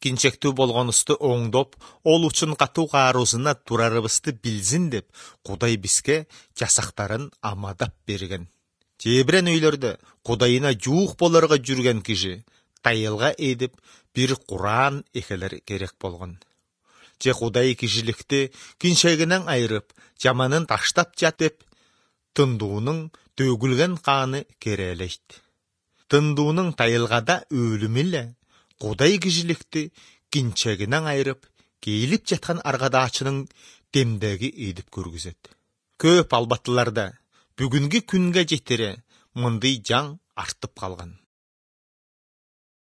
кинчектүү болгонубузду оңдоп, ол үчүн катуу каарусуна турарыбызды билсин деп, Кудай бизге жасактарын амадап берген. Жебирен үйлөрдө Кудайына жуук болорго жүрген киши тайылга эдип бир Куран экелер керек болгон. Же Кудай кишиликти кинчегинен айырып, жаманын таштап жат деп, тындуунун төгүлген каны керелейт. Тындуунун тайылгада өлүмү эле Кудай кишиликти кинчегинен айырып, кейилип жаткан аргадаачынын демдеги эдип көргүзөт. Көп албаттыларда бүгүнкү күнгө жетире мындай жаң артып калган.